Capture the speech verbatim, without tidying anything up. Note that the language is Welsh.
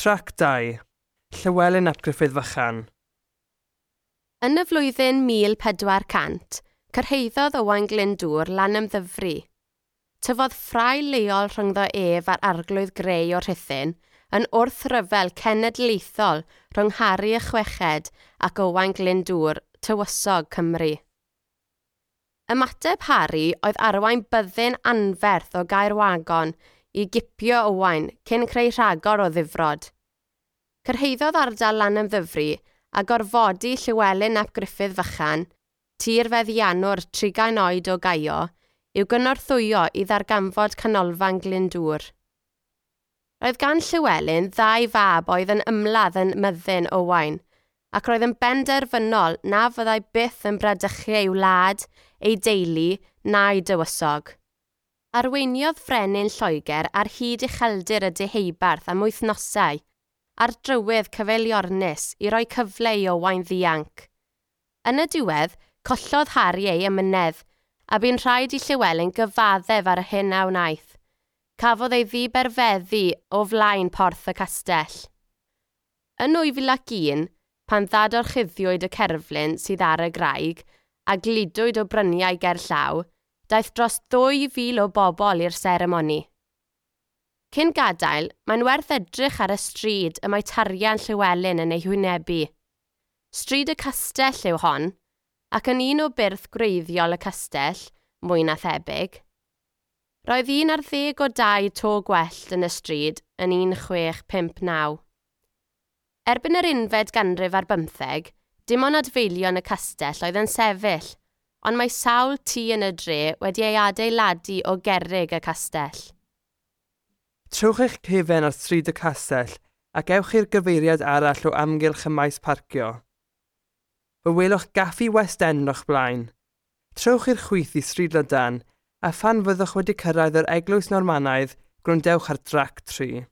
Trac dau. Llywelyn ap Gruffydd Fychan. Yn y flwyddyn mil pedwar cant, cyrhaeddodd Owain Glyndŵr Lanymddyfri. Tyfodd ffrae leol rhyngddo ef a'r arglwydd Grey o Rhuthun yn wrthryfel cenedlaethol rhwng Harri y Chweched ac Owain Glyndŵr, tywysog Cymru. Ymateb Harri oedd arwain byddin anferth o Gaerwagon i gipio Owain cyn creu rhagor o ddifrod. Cyrhaeddodd ardal Lanymddyfri a gorfodi Llywelyn ap Gruffydd Fychan, tirfeddiannwr trigain oed o Gaio, i'w gynorthwyo i ddarganfod canolfan Glyndŵr. Roedd gan Llywelyn ddau fab oedd yn ymladd yn myddin Owain, ac roedd yn benderfynol na fyddai byth yn bradychu ei wlad, ei deulu, na'i dywysog. Arweiniodd Frenin Lloegr ar hyd ucheldir y Deheubarth am wythnosau, ar drywydd cyfeiliornus i roi cyfle i Owain ddianc. Yn y diwedd, collodd Harri ei emynedd, a bu'n rhaid i Llywelyn gyfaddef ar y hyn a wnaeth. Cafodd ei ddiberfeddu o flaen porth y castell. Yn nwy fil ac un, pan ddadorchuddiwyd y cerflun sydd ar y graig a gludwyd o bryniau gerllaw, daeth dros ddwy fil o bobl i'r seremoni. Cyn gadael, mae'n werth edrych ar y stryd y mae tarian Llywelyn yn ei hwynebu. Stryd y castell yw hon, ac yn un o byrth gwreiddiol y castell, mwy na thebyg. Roedd un ar ddeg o dau to gwellt yn y stryd yn un chwech pump naw. Erbyn yr unfed ganrif ar bymtheg, dim ond adfeilion y castell oedd yn sefyll, ond mae sawl tŷ yn y dre wedi ei adeiladu o gerrig y castell. Trowch eich cefen ar stryd y castell ac ewch i'r gyfeiriad arall o amgylch y maes parcio. Fe welwch Gaffi West End o'ch blaen. Trowch i'r chwith i Stryd Lydan, a phan fyddwch wedi cyrraedd yr Eglwys Normanaidd, gwrandewch ar drac tri.